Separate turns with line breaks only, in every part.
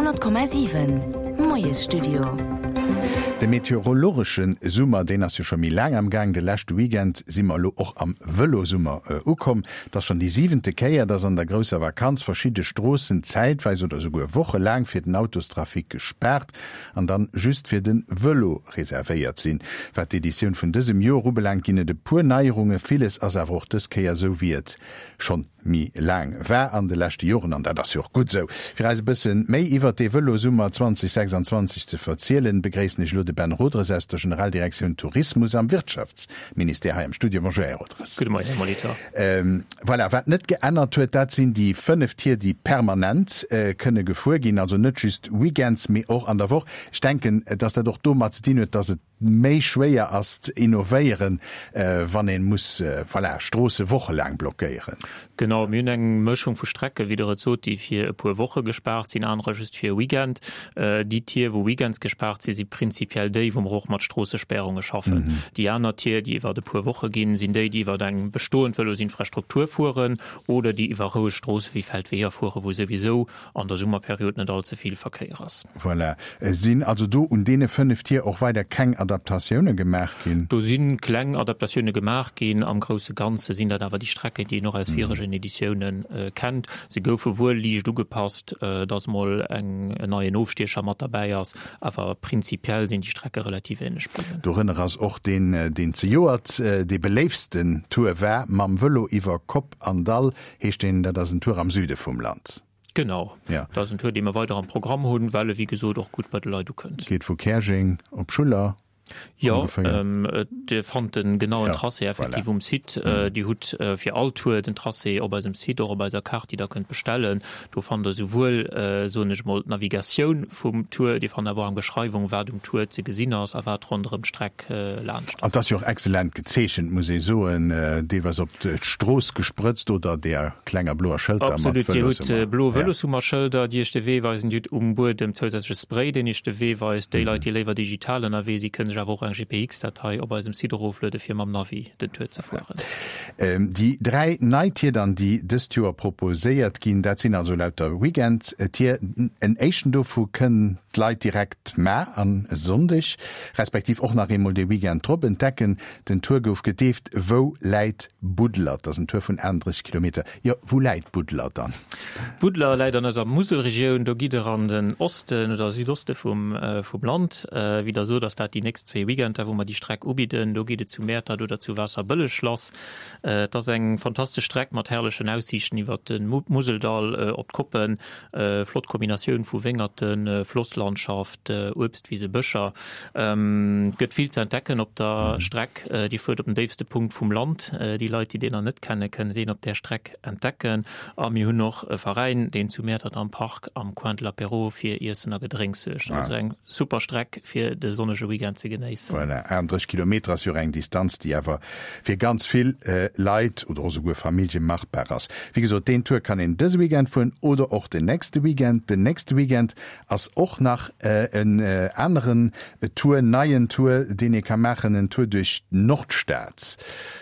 100,7 Moiesstudio.
De meteorologesche Summer, deen ass jo scho méi laang am Gaang. De leschte Weekend si mer elo och am Vëlosummer ukomm. Et ass schonn déi siwente Kéier, dass an der grousser Vakanz verschidde Stroossen zäitweis oder souguer wochelaang fir den Autostrafic gespaart an dann just fir de Vëlo reservéiert sinn. Wat d'Editioun vun dësem Joer ubelaangt, ginn et e puer Neierungen. Villes ass awer och dës Kéier esou, wéi et schonn méi laang war an de leschte Joren, an dat ass jo och gutt esou. Fir eis e bësse méi iwwert dee Vëlosummer 2026 ze verzielen, begréissen ech elo de Ben Rodres aus der Generaldirektioun Tourismus am Wirtschaftsministère hei am Studio. Bonjour, Här Rodres.
Gudde Moien, Här Molitor.
Voilà, wat net geännert huet, dat sinn déi 5 Tier, déi permanent kënne gefuer ginn, also net just weekends, mee och an der Woch. Ech denken, dass dat och domat ze dinn huet, dass et méi schwéier ass ze innovéieren, wann ee muss, voilà, Stroosse wochelaang blockéieren.
Genau, mir hunn eng Mëschung vu Strecken, wéi Der et sot, déi fir e puer Woche gespaart sinn, anerer just fir e Weekend. Déi Tier, wou weekends gespaart sinn, si prinzipiell déi, wou mer och mat Stroossespärunge schaffen. Déi aner Tier, déi iwwer e puer Woche ginn, sinn déi, déi iwwer eng bestoend Vëlosinfrastruktur fueren oder déi iwwer roueg Stroosse wéi Feldweeër fueren, wou souwisou an der Summerperiod net all ze vill Verkéier ass.
Voilà. Sinn also do un deene 5 Tier och weider keng Adaptatioune gemaach ginn?
Do si kleng Adaptatioune gemaach ginn. Am grousse Ganze sinn dat awer déi Strecken, déi een och aus viregen Editioune kennt. Se goufe wuel liicht ugepasst, dass mol en neien Ofstiecher mat derbäi ass, awer prinzipiell sinn déi Strecke relativ änlech bliwwen.
Dorënner ass och deen, deen zejoert dee beléiftsten Tour war, mam Vëlo iwwer Kopp an Dall heescht deen. Dat ass en Tour am Süde vum Land.
Genau,
Ja.
dat ass en Tour, dee mer weider am Programm hunn, well e wéi gesot och gutt bei de Leit ukënnt.
Geet vu Käerjeng op Schuller
Jo,
ongeféier.
Dir fannt den genauen
Ja,
Tracé effektiv
voilà.
um Site. Dir hutt fir all Tour den Tracé op eisem Site, och op eiser Kaart, déi Der kënnt bestellen. Do fannt Der souwuel, soen ech emol, d'Navigatioun vum Tour, Dir fannt awer och eng Beschreiwung, wat um Tour ze gesinn ass a wat ronderëm d'Streck laanscht
An
ass.
't ass jo och excellent gezeechent, muss ee soen, deelweis op d'Strooss gesprëtzt oder deer klenger bloer Schëlter mat
Absolut, Dir hutt
Vëloshummer.
blo
Ja.
Vëloshummerschëlder, déi Iech de Wee weisen. Dir hutt um Buedem zousätzleche Spray, deen Iech de Wee weist. Déi Leit, déi léiwer digital ënnerwee sinn, kënne sech awer och eng GPX-Datei op eisem Site erofluede fir mam Navi den Tour ze fueren.
Déi 3 nei Tier dann, déi dëst Joer proposéiert ginn, dat sinn also lauter Weekend-Tier. En éischten dovu kënnen d'Leit direkt mar an e Sonndeg, respektiv och nach eemol de Weekend drop entdecken. Den Tour gouf gedeeft Wou läit Budler? Dat ass en Tour vun 38 Kilometer. Jo, wou läit Budler dann?
Budler läit an eiser Muselregioun. Do gitt Der an den Osten oder Südoste vum Land. Wéi Der sot, ass dat déi nächst zwee Weekender, wou mer déi Streck ubidden. Do geet et zu Mäertert oder zu Waasserbëlleg lass. Et ass eng fantastesch Streck mat herrlechen Aussiichten iwwer de Museldall op d'Koppen. Flott Kombinatioun vu Wéngerten, Flosslandschaft, Uebstwise, Bëscher. Et gëtt vill ze entdecken op der Streck. Dir fuert op den déifste Punkt vum Land. Déi Leit, déi deen nach net kennen, kënnen deen op där Streck entdecken. A mir hunn och e Veräin, deen zu Mäertert am Park am Coin de l'Apéro fir Iessen a Gedrénks suergt. Also eng super Streck fir de sonnege Weekend ze genéissen.
Voilà, 38 Kilometer ass jo och eng Distanz, déi awer fir ganz vill Leit oder och esouguer Famillje machbar ass. Wéi gesot, deen Tour kann een dëse Weekend fueren oder och den nächste Weekend. Den nächste Weekend ass och nach en aneren Tour, neien Tour, deen ee ka maachen, en Tour duerch d'Nordstad.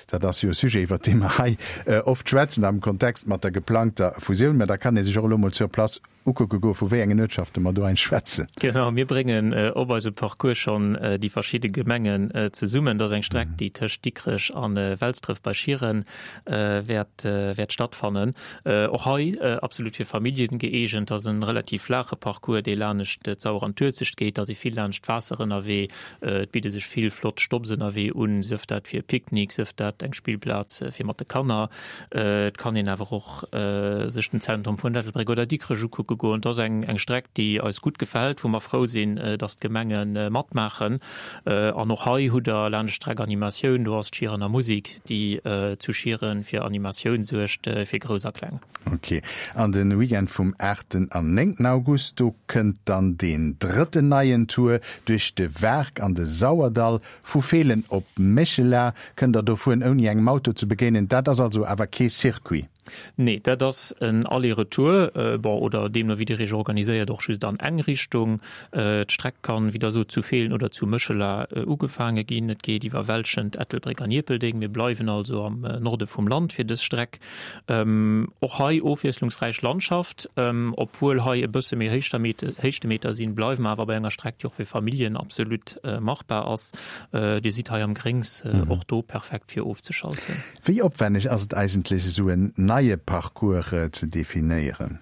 Dat ass jo e Sujet, iwwert dee mer hei oft schwätzen am Kontext mat der geplangter Fusioun. Mä da kann ee sech och elo mol sur place Ukucke goe vu wéi engen Uertschafte mer do eigentlech schwätzen.
Genau, mir bréngen op eisem Parcours schonn déi verschidde Gemengen zesummen. Dat ass eng Streck, déi tëscht Dikrech a Welsdref bei Schieren wäert wäert stattfannen. Och hei absolut fir Familljen gëeegent. Dat ass e relativ flaache Parcours, dee lanescht d'Sauer an d'Uelzecht geet. Da si vill laanscht d'Waasser ënnerwee. Et bidde sech vill flott Stopps ënnerwee un, sief dat fir e Picknick, sief dat eng Spillplaz fir mat de Kanner. Et kann een awer och sech den Zentrum vun Ettelbréck oder Dikrech ukucke goen. Et ass eng eng Streck, déi eis gutt gefält, wou mer frou sinn, datt d'Gemenge matmaachen. An och hei hutt Der laanscht d'Streck Animatioun. Do ass d'Schierener Musik, déi zu Schieren fir Animatioun suergt, fir Grouss a Kleng.
Ok. An de Weekend vum aachten an néngten August, do kënnt dann deen drëtten neien Tour duerch de Waark an de Sauerdall. Vu Feelen op Méchela kënnt der do fueren ouni engem Auto ze begéinen. Dat ass also awer kee Circuit.
Nee, dat ass en Aller-retour, bon, oder deemno wéi Dir Iech organiséiert, och just an eng Richtung. D'Streck kann, wéi Der sot, zu Feelen oder zu Méchela ugefaange ginn. Et geet iwwer Welschent, Ettelbréck an Ierpeldeng. Mir bleiwen also am Norde vum Land fir dës Streck. Och hei ofwiesslungsräich Landschaft. Obwuel hei e bësse méi Héichtemeter sinn, bleiwe mer awer bei enger Streck, déi och fir Familljen absolut machbar ass. Dir sidd hei am Gréngs, och do perfekt fir ofzeschalten.
Wéi opwenneg ass et eigentlech esou en neie Parcours ze definéieren?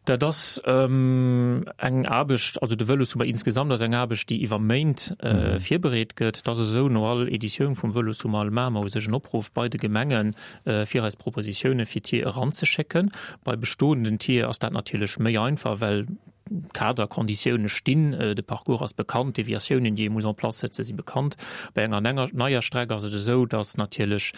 Dat ass eng Aarbecht, also de Vëlossummer insgesamt ass eng Aarbecht, déi iwwer Méint virbereet gëtt. Et ass esou, no all Editioun vum Vëlossummer maache mer u sech en Opruff bei de Gemengen, fir eis Propositioune fir Tier eranzeschécken. Bei bestoenden Tier ass dat natierlech méi einfach, well D'Kaderkonditioune stinn, de Parcours ass bekannt, d'Deviatiounen, déi ee muss en place setzen, si bekannt. Bei enger neier Streck ass et esou, datt natierlech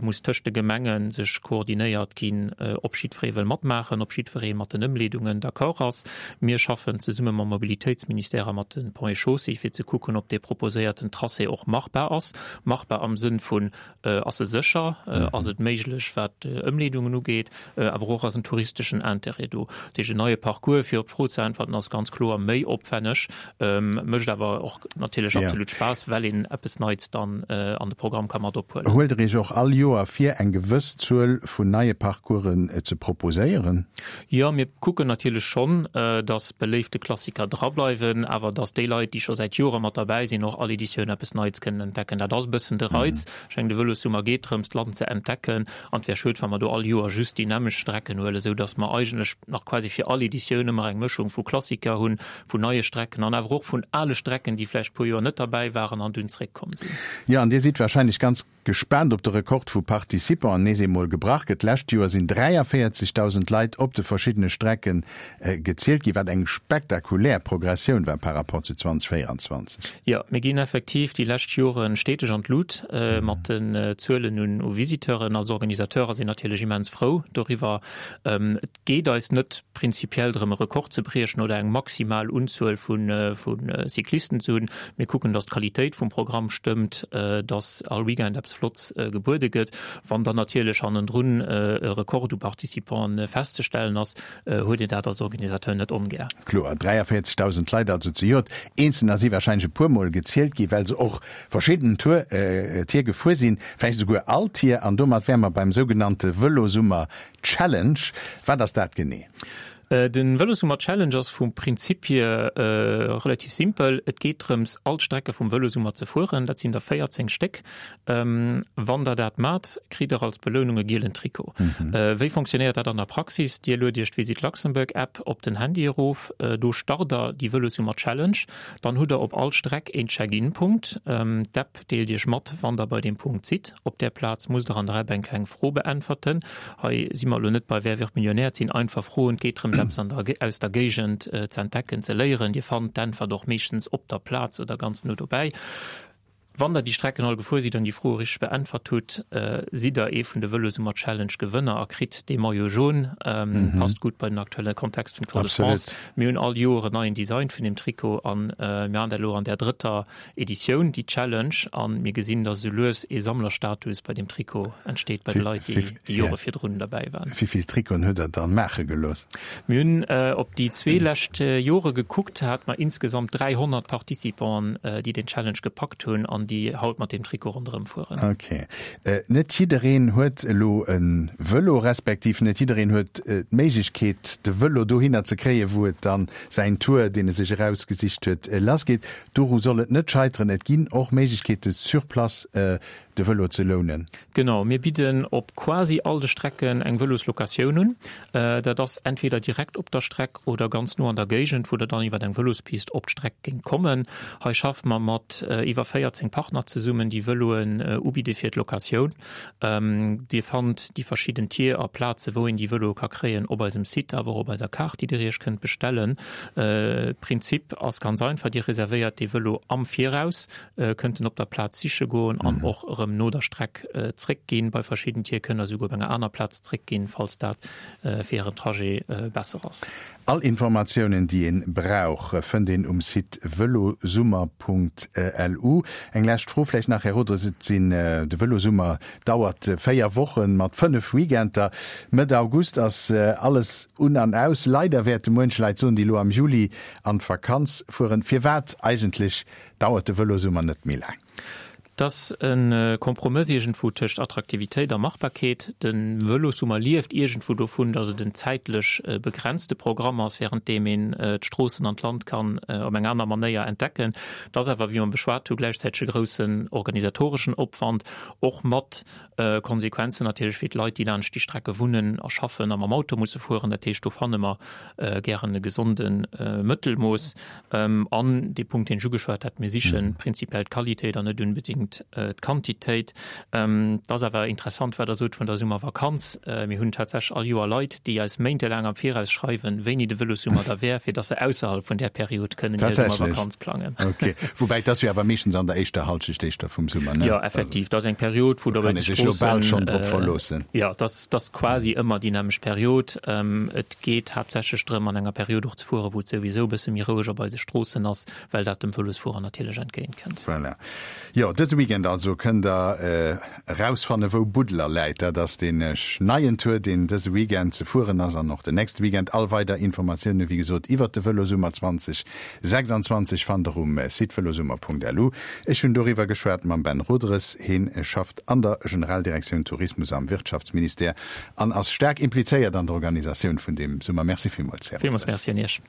muss tëscht de Gemenge sech koordinéiert ginn, ob jiddweree wëll matmaachen, ob jiddweree mat den Ëmleedungen d'accord ass. Mir schaffen zesumme mam Mobilitéitsministère a mat de Ponts et Chaussées, fir ze kucken, ob dee proposéierten Tracé och machbar ass. Machbar am Sënn vun, Ass e sécher? Ass et méiglech, wat Ëmleedungen ugeet? Awer och ass en touristeschen Intérêt do? Dat heescht, en neie Parcours, fir op d'Fro ze äntwerten, ass ganz kloer méi opwänneg, mécht awer och natierlech absolut Spaass, well een eppes Neits dann an de Programm ka mat ophuelen.
Huelt Der Iech och all Joer vir, eng gewëss Zuel vun neie Parcoursen ze proposéieren?
Jo, mir kucken natierlech schonn, dass beléifte Klassiker drableiwen, awer dass déi Leit, déi scho säit Jore mat derbäi sinn, och all Editioun eppes Neits kënnen entdecken. Dat ass e bëssen de Reiz. Ech mengen, de Vëlossummer geet drëms, d'Land ze entdecken, an et wär schued, wa mer do all Joer just déi nämmlecht Strecken huelen, esou dass mer eigentlech nach quasi fir all Editioun ëmmer eng Mëschung vu Klassiker hunn, vun neie Strecken an awer och vun ale Strecken, déi vläicht e puer Joer net derbäi waren an dunn zréckkomm sinn.
Jo, an Dir sidd wahrscheinlech ganz Gespaant ob de Rekord vu Participanten nees eemol gebrach gëtt. D'lescht Joer sinn 43.000 Leit op de verschiddene Strecke gezielt ginn, wat eng spektakulär Progressioun war par rapport zu 2024.
Jo, mir ginn effektiv déi lescht Jore steteg an d'Lut mat den Zuelen u Visiteuren. Als Organisateur ass een natierlech immens frou doriwwer. Et geet eis net prinzipiell drëm e Rekord ze briechen oder eng maximal Unzuel vu Cyclisten ze hunn. Mir kucken, datt d'Qualitéit vum Programm stëmmt, datt all Weekend eppes Flotts gebuede gëtt. Wann dann natierlech hannendrun e Rekord u Participanten festzestellen ass, huet een dat als Organisateur net ongär.
Kloer, 43.000 Leit also zejoert. Eenzelner si warscheinlech e puer Mol gezielt gi well se och verschidden Tour Tier gefuer sinn, vläicht esouguer all Tier. An domat wäre mer beim sougenannte Vëlosummer Challenge, wat ass dat genee?
De Vëlosummer Challenge ass vum Prinzip hier relativ simpel. Et geet drëms, all d'Strecke vum Vëlosummer ze fueren. Dat sinn der 14 Stéck. Wann der dat mat, kritt der als Belounung e gielen Trikot. Wéi fonctionnéiert dat an der Praxis? Dir luet Iech d'Visit Luxembourg App op den Handy erof. Do start der déi Vëlosummer Challenge. Dann hutt der op all Streck een Check-in-Punkt. D'App Deelt Iech mat, wann der bei deem Punkt sidd. Op där Plaz musst der an der App eng kleng Fro beäntwerten. Hei si mer elo net bei Wer wird Millionär, et sinn einfach Froen. Et geet drëms, eppes an der, aus der Géigend ze entdecken, ze léieren. Dir fannt d'Äntwert och meeschtens op der Plaz oder ganz no dobäi. Wann der déi Strecken all gefuer sidd an déi Froe richteg beäntwert hutt, sidd der ee vun de Vëlosummer Challenge Gewënner a kritt dee Maillot jaune. Passt gutt bei den aktuelle Kontext vum Tour de France. Mir hunn all Joer en neien Design vun deem Trikot an mir han dat elo an där drëtter Editioun, déi Challenge, an mir gesinn, dass esou lues ee Sammlerstatus bei deem Trikot entsteet bei de Leit, déi déi Jore virdrun derbäi waren.
Wéi vill Trikoten hutt Der dann maache gelooss?
Mir hunn op déi zwee lescht Jore gekuckt, hate mer insgesamt 300 Participanten, déi den Challenge gepackt hunn an déi haut mat deem Trikot ronderëm fueren.
Ok. Net jiddereen huet elo e Vëlo, respektiv net jiddereen huet d'Méiglechkeet, de Vëlo dohinner ze kréien, wou et dann säin Tour, deen e sech erausgesicht huet, lassgeet. Doru soll et net scheiteren, et ginn och Méiglechkeete sur place de Vëlo ze lounen.
Genau, mir bidden op quasi all de Strecken eng Vëloslocatioun un. Dat ass entweder direkt op der Streck oder ganz no an der Géigend, wou der dann iwwer eng Vëlospist op d'Streck géingt kommen. Hei schaffe mer mat iwwer 14 Partner zesummen, déi Vëloen ubidde fir d'Locatioun. Dir fannt déi verschidden Tier a Plaze wou een déi Vëloe ka kréien op eisem Site, awer och op eiser Kaart, déi Dir Iech kënnt bestellen. Prinzip ass ganz einfach, Dir reservéiert dee Vëlo am Viraus, kënnt en op der Plaz siche goen an och erëm no der Streck zréckginn. Bei verschidden Tier kënnt Der esouguer op enger aner Plaz zréckginn, falls dat fir Ären Trajet besser ass.
All Informatiounen déi een brauch fënnt een um Site velosummer.lu. Eng. Eng lescht Fro vläicht nach, Här Rodres. Et sinn, de Vëlosummer dauert 4 Wochen mat 5 Weekender. Mëtt August ass alles un an aus. Leider wäerte muench Leit soen, déi elo am Juli an d'Vakanz fueren, Firwat eigentlech dauert de Vëlosummer net méi laang?
Et ass e Kompromëss iergendwou tëscht Attraktivitéit a Machbarkeet. De Vëlossummer lieft iergendwou dovun, datt et en zäitlech begrenzte Programm ass, wärend deem een d'Stroossen an d'Land kann op eng aner Manéier entdecken. Et ass awer, wéi mer beschwat hu, gläichzäiteg e groussen organisatoreschen Opwand, och mat Konsequenzen natierlech fir d'Leit, déi laanscht déi Strecke wunnen a schaffen a mam Auto musse fueren. Dat heescht, do fanne mer gären e gesonde Mëttelmooss. An dee Punkt, deen ech ugeschwat hat, mir siche prinzipiell d'Qualitéit an net unbedéngt d'Quantitéit. Et ass awer interessant, wat Der sot vun der Summervakanz. Mir hunn tatsächlech all Joer Leit, déi eis méintelaang am Viraus schreiwen, wéini de Vëlossummer da wär, fir datt se ausserhalb vun där Period kënnen hir Summervakanz plangen.
Tatsächlech? Okay. Woubäi, et ass jo awer meeschtens an der éischter Hallschecht éischter vum Summer, ne?
Jo, effektiv. Et ass eng Period, wou da bei de
Stroossen. Kann ee sech elo bal schonn drop verloossen.
Jo, et ass quasi ëmmer déi nämmlecht Period. Et geet haaptsächlech drëm, an enger Period och ze fueren, wou et souwisou e bësse méi roueg op eise Stroossen ass, well dat dem Vëlosfuerer natierlech entgéint kënnt.
Voilà. Jo, dëse Weekend also kënnt der erausfanne wou Buddeler läit. Dat ass deen neien Tour, deen dëse Weekend ze fueren ass an och den nächste Weekend. All weider Informatioune wéi gesot iwwert de Vëlosummer 2026 fannt der um Site velosummer.lu. Ech hunn doriwwer geschwat mam Ben Roderes. Heen schafft an der Generaldirektioun Tourismus am Wirtschaftsministère an ass staark implizéiert an der Organisatioun vun deem Summer. Merci villmools,
Här Villmools Merci un Iech.